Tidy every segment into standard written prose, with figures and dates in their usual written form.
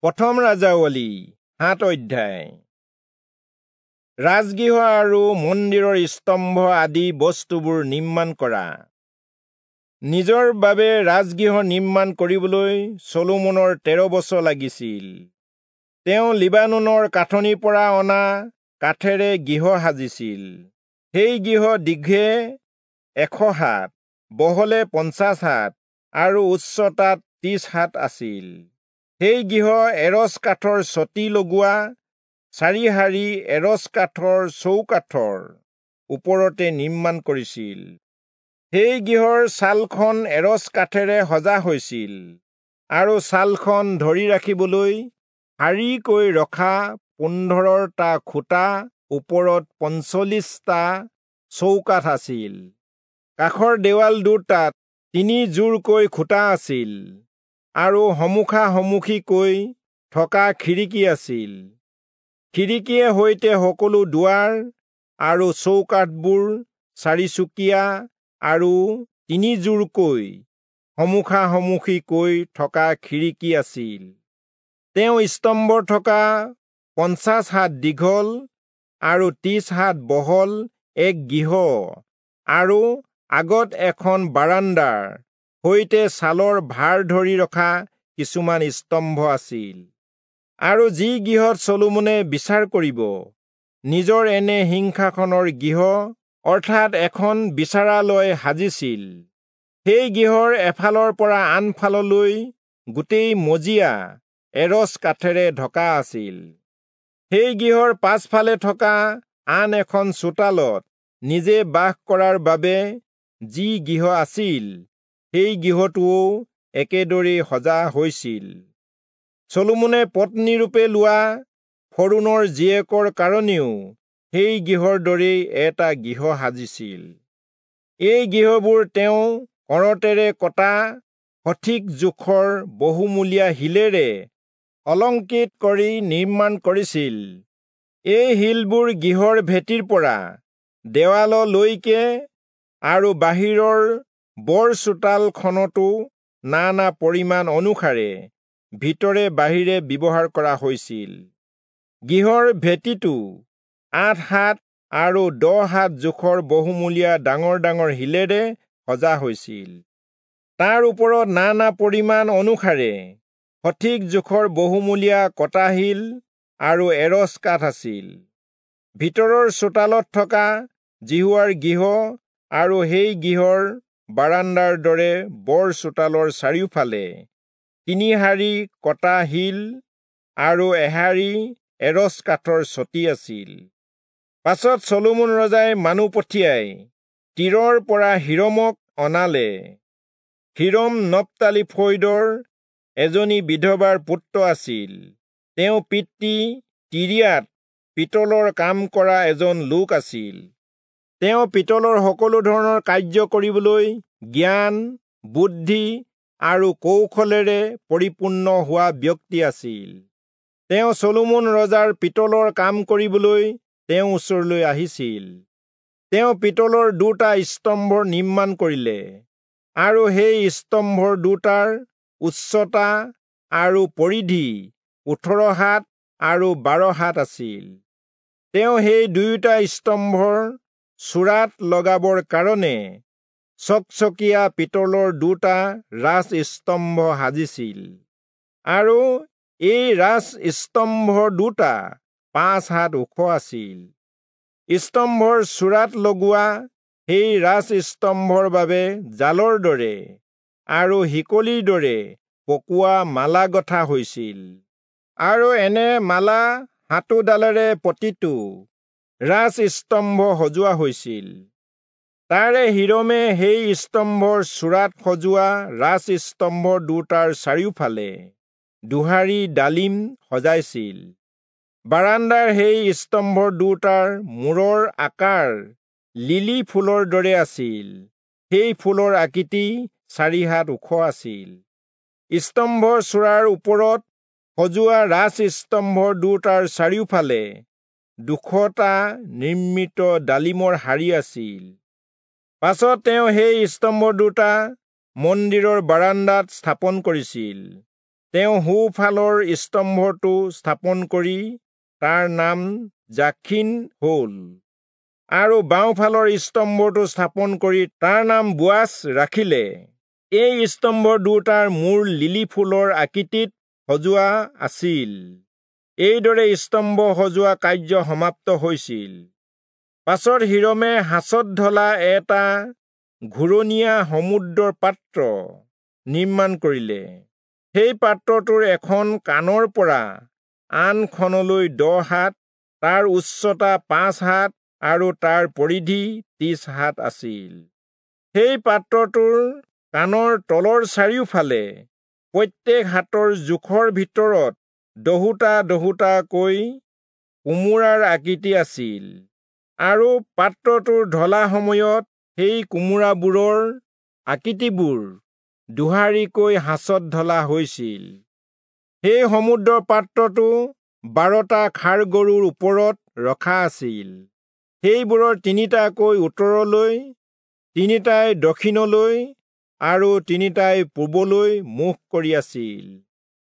প্ৰথম ৰাজাৱলী 7 অধ্যায়। ৰাজগৃহ আৰু মন্দিৰৰ স্তম্ভ আদি বস্তুবোৰ নিৰ্মাণ কৰা। নিজৰ বাবে ৰাজগৃহ নিৰ্মাণ কৰিবলৈ চলোমনৰ 13 বছৰ লাগিছিল। তেওঁ লিবানোনৰ কাঠনিৰ পৰা অনা কাঠেৰে গৃহ সাজিছিল। সেই গৃহ দীঘে 100 হাত, বহলে 50 হাত আৰু উচ্চতাত 30 হাত আছিল। সেই গৃহ এৰচ কাঠৰ চটি লগোৱা চাৰি শাৰী এৰচ কাঠৰ চৌকাঠৰ ওপৰতে নিৰ্মাণ কৰিছিল। সেই গৃহৰ ছালখন এৰচ কাঠেৰে সজা হৈছিল আৰু ছালখন ধৰি ৰাখিবলৈ শাৰীকৈ ৰখা 15টা খুঁটা ওপৰত 45টা চৌকাঠ আছিল। কাষৰ দেৱাল দুটাত 3 জোৰকৈ খুঁটা আছিল আৰু সমুখা সমুখিকৈ থকা খিৰিকী আছিল। খিৰিকীয়ে সৈতে সকলো দুৱাৰ আৰু চৌকাঠবোৰ চাৰিচুকীয়া আৰু 3 জোৰকৈ সমুখা সমুখিকৈ থকা খিৰিকী আছিল। তেওঁ স্তম্ভ থকা 50 হাত দীঘল আৰু 30 হাত বহল এক গৃহ আৰু আগত এখন বাৰাণ্ডাৰ সৈতে ছালৰ ভাৰ ধৰি ৰখা কিছুমান স্তম্ভ আছিল। আৰু যি গৃহত চলোমনে বিচাৰ কৰিব নিজৰ এনে সিংহাসনৰ গৃহ অৰ্থাৎ এখন বিচাৰালয় সাজিছিল, সেই গৃহৰ এফালৰ পৰা আনফাললৈ গোটেই মজিয়া এৰচ কাঠেৰে ঢকা আছিল। সেই গৃহৰ পাছফালে থকা আন এখন চোতালত নিজে বাস কৰাৰ বাবে যি গৃহ আছিল, সেই গৃহটোও একেদৰেই সজা হৈছিল। চলোমনে পত্নীৰূপে লোৱা ফৰৌণৰ জীয়েকৰ কাৰণেও সেই গৃহৰ দৰেই এটা গৃহ সাজিছিল। এই গৃহবোৰ তেওঁ কৰতেৰে কটা সঠিক জোখৰ বহুমূলীয়া শিলেৰে অলংকৃত কৰি নিৰ্মাণ কৰিছিল। এই শিলবোৰ গৃহৰ ভেটিৰ পৰা দেৱাললৈকে আৰু বাহিৰৰ বৰ চোতালখনতো নানা পৰিমাণ অনুসাৰে ভিতৰে বাহিৰে ব্যৱহাৰ কৰা হৈছিল। গৃহৰ ভেটিটো 8 হাত আৰু 10 হাত জোখৰ বহুমূলীয়া ডাঙৰ ডাঙৰ শিলেৰে সজা হৈছিল। তাৰ ওপৰত নানা পৰিমাণ অনুসাৰে সঠিক জোখৰ বহুমূলীয়া কটা শিল আৰু এৰচ কাঠ আছিল। ভিতৰৰ চোতালত থকা যিহোৱাৰ গৃহ আৰু সেই গৃহৰ বাৰাণ্ডাৰ দৰে বৰ চোতালৰ চাৰিওফালে 3 শাৰী কটা শিল আৰু এশাৰী এৰচ কাঠৰ চটি আছিল। পাছত চলোমন ৰজাই মানুহ পঠিয়াই তীৰৰ পৰা হিৰমক অনালে। হিৰম নপ্তালী ফৈদৰ এজনী বিধৱাৰ পুত্ৰ আছিল। তেওঁ পিতৃ তিৰিয়াত পিতলৰ কাম কৰা এজন লোক আছিল। তেওঁ পিতলৰ সকলো ধৰণৰ কাৰ্য কৰিবলৈ জ্ঞান, বুদ্ধি আৰু কৌশলেৰে পৰিপূৰ্ণ হোৱা ব্যক্তি আছিল। তেওঁ চলোমন ৰজাৰ পিতলৰ কাম কৰিবলৈ তেওঁৰ ওচৰলৈ আহিছিল। তেওঁ পিতলৰ 2টা স্তম্ভ নিৰ্মাণ কৰিলে আৰু সেই স্তম্ভৰ দুটাৰ উচ্চতা আৰু পৰিধি 18 হাত আৰু 12 হাত আছিল। তেওঁ সেই দুয়োটা স্তম্ভৰ চূড়াত লগাবৰ কাৰণে চকচকীয়া পিতলৰ 2টা ৰাজ স্তম্ভ সাজিছিল আৰু এই ৰাজ স্তম্ভ দুটা 5 হাত ওখ আছিল। স্তম্ভৰ চূড়াত লগোৱা সেই ৰাজ স্তম্ভৰ বাবে জালৰ দৰে আৰু শিকলিৰ দৰে পকোৱা মালা গঠা হৈছিল আৰু এনে মালা 7ডালেৰে প্ৰতিটো ৰাজ স্তম্ভ সজোৱা হৈছিল। তাৰে হিৰমে সেই স্তম্ভৰ চূড়াত সজোৱা ৰাজ স্তম্ভ দুটাৰ চাৰিওফালে দুহাৰী ডালিম সজাইছিল। বাৰাণ্ডাৰ সেই স্তম্ভ দুটাৰ মূৰৰ আকাৰ লিলি ফুলৰ দৰে আছিল। সেই ফুলৰ আকৃতি 4 হাত ওখ আছিল। স্তম্ভৰ চূড়াৰ ওপৰত সজোৱা ৰাজ স্তম্ভ দুটাৰ চাৰিওফালে 200টা নিৰ্মিত ডালিমৰ শাৰী আছিল। পাছত তেওঁ সেই স্তম্ভ দুটা মন্দিৰৰ বাৰাণ্ডাত স্থাপন কৰিছিল। তেওঁ সোঁফালৰ স্তম্ভটো স্থাপন কৰি তাৰ নাম জাখিন হ'ল, আৰু বাওঁফালৰ স্তম্ভটো স্থাপন কৰি তাৰ নাম বোৱাচ ৰাখিলে। এই স্তম্ভ দুটাৰ মূৰ লিলি ফুলৰ আকৃতিত সজোৱা আছিল। এইদৰে স্তম্ভ সজোৱা কাৰ্য সমাপ্ত হৈছিল। পাছত হিৰমে সাঁচত ঢলা এটা ঘূৰণীয়া সমুদ্ৰৰ পাত্ৰ নিৰ্মাণ কৰিলে। সেই পাত্ৰটোৰ এখন কাণৰ পৰা আনখনলৈ 10 হাত, তাৰ উচ্চতা 5 হাত আৰু তাৰ পৰিধি 30 হাত আছিল। সেই পাত্ৰটোৰ কাণৰ তলৰ চাৰিওফালে প্ৰত্যেক হাতৰ জোখৰ ভিতৰত দহোটা দহোটাকৈ কোমোৰাৰ আকৃতি আছিল, আৰু পাত্ৰটোৰ ঢলা সময়ত সেই কোমোৰাবোৰৰ আকৃতিবোৰ দোহাৰিকৈ সাঁচত ঢলা হৈছিল। সেই সমুদ্ৰৰ পাত্ৰটো 12টা ষাঁড় গৰুৰ ওপৰত ৰখা আছিল। সেইবোৰৰ 3টাকৈ উত্তৰলৈ, 3টাই দক্ষিণলৈ আৰু 3টাই পূবলৈ মুখ কৰি আছিল।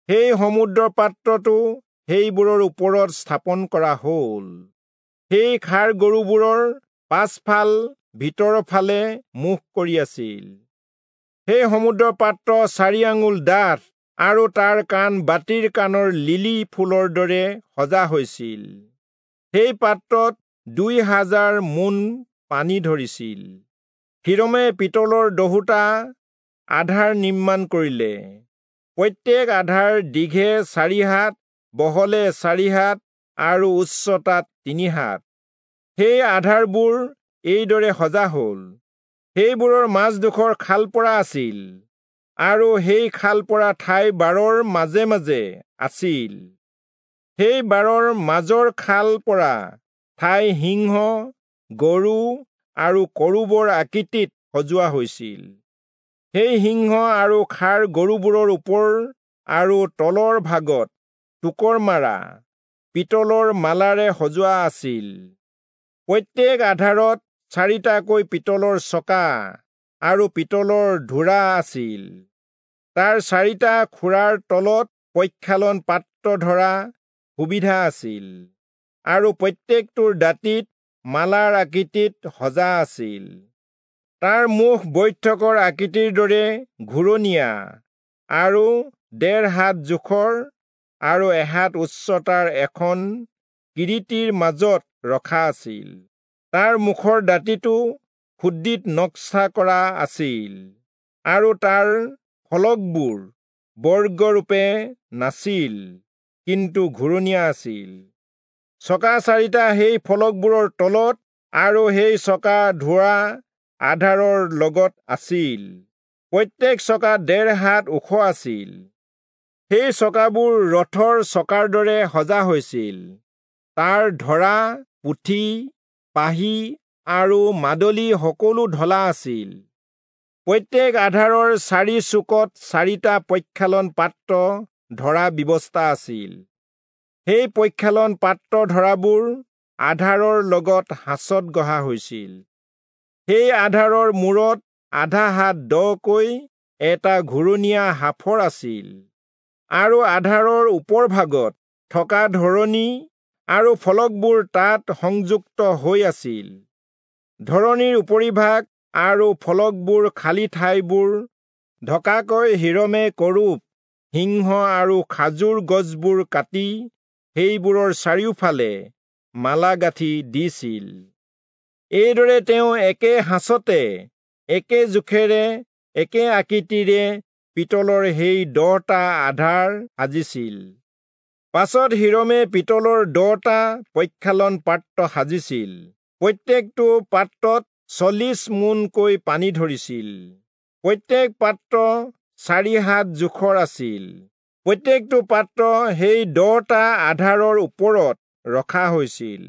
সেই সমুদ্ৰৰ পাত্ৰটো সেইবোৰৰ ওপৰত স্থাপন কৰা হ'ল। সেই ষাঁড় গৰুবোৰৰ পাছফাল ভিতৰৰ ফালে মুখ কৰি আছিল। সেই সমুদ্ৰৰ পাত্ৰ 4 আঙুল ডাঠ আৰু তাৰ কাণ বাতিৰ কাণৰ লিলি ফুলৰ দৰে সজা হৈছিল। সেই পাত্ৰত 2000 মোন পানী ধৰিছিল। হিৰমে পিতলৰ 10টা আধাৰ নিৰ্মাণ কৰিলে। প্ৰত্যেক আধাৰ দীঘে 4 হাত, বহলে 4 হাত আৰু উচ্চতাত 3 হাত। সেই আধাৰবোৰ এইদৰে সজা হ'ল। সেইবোৰৰ মাজডোখৰ খাল পৰা আছিল, আৰু সেই খাল পৰা ঠাই বাৰৰ মাজে মাজে আছিল। সেই বাৰৰ মাজৰ খাল পৰা ঠাই সিংহ, গৰু আৰু কৰূবৰ আকৃতিত সজোৱা হৈছিল। সেই সিংহ আৰু ষাঁড় গৰুবোৰৰ ওপৰ আৰু তলৰ ভাগত টোকৰ মাৰা পিতলৰ মালাৰে সজোৱা আছিল। প্ৰত্যেক আধাৰত 4টাকৈ পিতলৰ চকা আৰু পিতলৰ ধোৰা আছিল। তাৰ 4টা খুৰাৰ তলত প্ৰক্ষালন পাত্ৰ ধৰা সুবিধা আছিল, আৰু প্ৰত্যেকটোৰ দাঁতিত মালাৰ আকৃতিত সজা আছিল। তাৰ মুখ বৈঠকৰ আকৃতিৰ দৰে ঘূৰণীয়া আৰু 1.5 হাত জোখৰ আৰু 1 হাত উচ্চতাৰ এখন কিৰীটিৰ মাজত ৰখা আছিল। তাৰ মুখৰ দাঁতিটো খুদ্দিত নক্সা কৰা আছিল, আৰু তাৰ ফলকবোৰ বৰ্গৰূপে নাছিল, কিন্তু ঘূৰণীয়া আছিল। চকা 4টা সেই ফলকবোৰৰ তলত আৰু সেই চকা ধোৱা আধাৰৰ লগত আছিল। প্ৰত্যেক চকা 1.5 হাত ওখ আছিল। সেই চকাবোৰ ৰথৰ চকাৰ দৰে সজা হৈছিল। তাৰ ধৰা, পুঠি, পাহি আৰু মাদলি সকলো ঢলা আছিল। প্ৰত্যেক আধাৰৰ 4 চুকত 4টা প্ৰক্ষালন পাত্ৰ ধৰা ব্যৱস্থা আছিল। সেই প্ৰক্ষালন পাত্ৰ ধৰাবোৰ আধাৰৰ লগত সাঁচত গঢ়া হৈছিল। সেই আধাৰৰ মূৰত আধা হাত দকৈ এটা ঘূৰণীয়া সাঁফৰ আছিল, আৰু আধাৰৰ ওপৰ ভাগত থকা ধৰণী আৰু ফলকবোৰ তাত সংযুক্ত হৈ আছিল। ধৰণীৰ উপৰিভাগ আৰু ফলকবোৰ খালী ঠাইবোৰ ঢকাকৈ হিৰমে কৰূব, সিংহ আৰু খাজুৰ গছবোৰ কাটি সেইবোৰৰ চাৰিওফালে মালা গাঁঠি দিছিল। এইদৰে তেওঁ একে সাঁচতে একে জোখেৰে একে আকৃতিৰে পিতলৰ সেই 10টা আধাৰ সাজিছিল। পাছত হিৰমে পিতলৰ 10টা প্ৰক্ষালন পাত্ৰ সাজিছিল। প্ৰত্যেকটো পাত্ৰত 40 মোনকৈ পানী ধৰিছিল। প্ৰত্যেক পাত্ৰ 4 হাত জোখৰ আছিল। প্ৰত্যেকটো পাত্ৰ সেই 10টা আধাৰৰ ওপৰত ৰখা হৈছিল।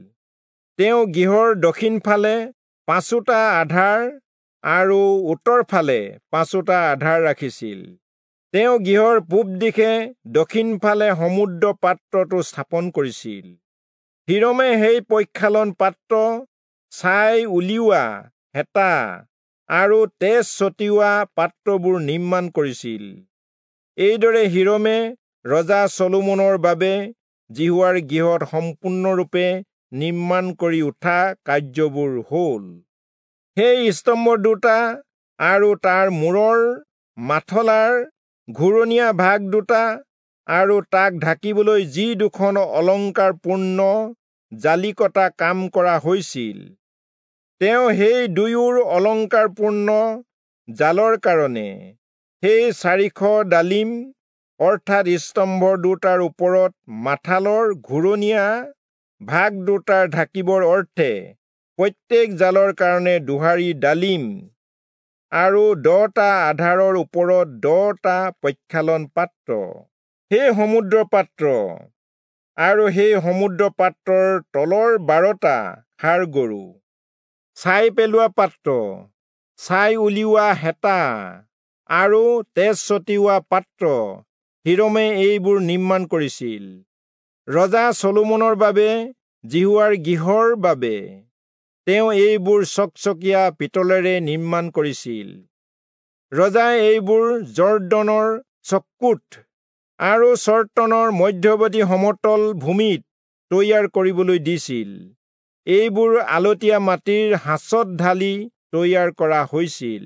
তেওঁ গৃহৰ দক্ষিণফালে 5টা আধাৰ আৰু উত্তৰফালে 5টা আধাৰ ৰাখিছিল। তেওঁ গৃহৰ পূব দিশে দক্ষিণফালে সমুদ্ৰ পাত্ৰটো স্থাপন কৰিছিল। হিৰমে সেই প্ৰক্ষালন পাত্ৰ, ছাই উলিওৱা হেতা আৰু তেজ ছটিওৱা পাত্ৰবোৰ নিৰ্মাণ কৰিছিল। এইদৰে হীৰমে ৰজা চলোমনৰ বাবে যিহোৱাৰ গৃহত সম্পূৰ্ণৰূপে নিৰ্মাণ কৰি উঠা কাৰ্যবোৰ হ'ল। সেই স্তম্ভ দুটা আৰু তাৰ মূৰৰ মাথলাৰ ঘূৰণীয়া ভাগ দুটা আৰু তাক ঢাকিবলৈ যি দুখন অলংকাৰপূৰ্ণ জালিকটা কাম কৰা হৈছিল, তেওঁ সেই দুয়োৰ অলংকাৰপূৰ্ণ জালৰ কাৰণে সেই 400 ডালিম অৰ্থাৎ স্তম্ভ দুটাৰ ওপৰত মাথালৰ ঘূৰণীয়া ভাগ দুটাৰ ঢাকিবৰ অৰ্থে প্ৰত্যেক জালৰ কাৰণে 2 হাৰি ডালিম আৰু 10টা আধাৰৰ ওপৰত 10টা প্ৰক্ষালন পাত্ৰ, সেই সমুদ্ৰ পাত্ৰ আৰু সেই সমুদ্ৰ পাত্ৰৰ তলৰ 12টা ষাঁড় গৰু, ছাই পেলোৱা পাত্ৰ, ছাই উলিওৱা হেতা আৰু তেজ ছটিওৱা পাত্ৰ হীৰমে এইবোৰ নিৰ্মাণ কৰিছিল। ৰজা চলোমনৰ বাবে যিহোৱাৰ গৃহৰ বাবে তেওঁ এইবোৰ চকচকীয়া পিতলেৰে নিৰ্মাণ কৰিছিল। ৰজাই এইবোৰ যৰ্দনৰ চক্কুত আৰু চৰ্তনৰ মধ্যৱৰ্তী সমতল ভূমিত তৈয়াৰ কৰিবলৈ দিছিল। এইবোৰ আলতীয়া মাটিৰ সাঁচত ঢালি তৈয়াৰ কৰা হৈছিল।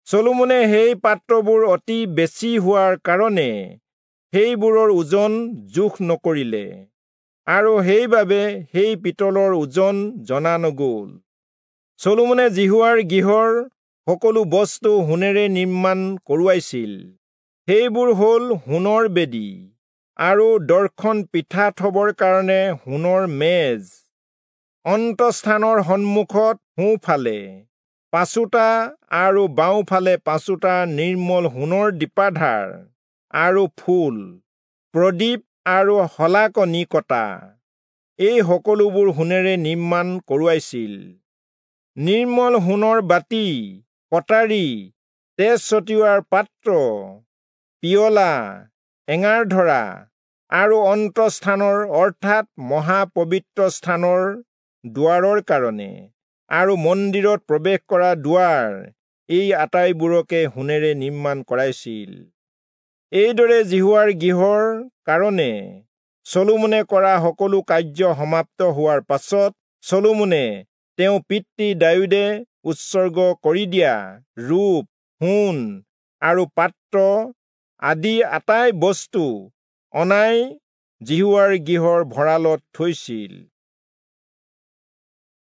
চলোমনে সেই পাত্ৰবোৰ অতি বেছি হোৱাৰ কাৰণে সেইবোৰৰ ওজন জোখ নকৰিলে আৰু সেইবাবে সেই পিতলৰ ওজন জনা নগ'ল। চলোমনে যিহোৱাৰ গৃহৰ সকলো বস্তু সোণেৰে নিৰ্মাণ কৰোৱাইছিল। সেইবোৰ হ'ল সোণৰ বেদী আৰু দৰ্শন পিঠা থবৰ কাৰণে সোণৰ মেজ, অন্তঃস্থানৰ সন্মুখত সোঁফালে 5টা আৰু বাওঁফালে 5টা নিৰ্মল সোণৰ দীপাধাৰ আৰু ফুল, প্ৰদীপ আৰু শলাকনি কটা, এই সকলোবোৰ সোণেৰে নিৰ্মাণ কৰোৱাইছিল। নিৰ্মল সোণৰ বাতি, কটাৰী, তেজ ছটিওৱাৰ পাত্ৰ, পিয়লা, এঙাৰ ধৰা আৰু অন্তঃস্থানৰ অৰ্থাৎ মহাপবিত্ৰ স্থানৰ দুৱাৰৰ কাৰণে আৰু মন্দিৰত প্ৰৱেশ কৰা দুৱাৰ, এই আটাইবোৰকে সোণেৰে নিৰ্মাণ কৰাইছিল। এইদৰে যিহোৱাৰ গৃহৰ কাৰণে চলোমনে কৰা সকলো কাৰ্য সমাপ্ত হোৱাৰ পাছত চলোমনে তেওঁ পিতৃ দায়ূদে উৎসৰ্গ কৰি দিয়া ৰূপ, সোণ আৰু পাত্ৰ আদি আটাই বস্তু অনাই যিহোৱাৰ গৃহৰ ভঁৰালত থৈছিল।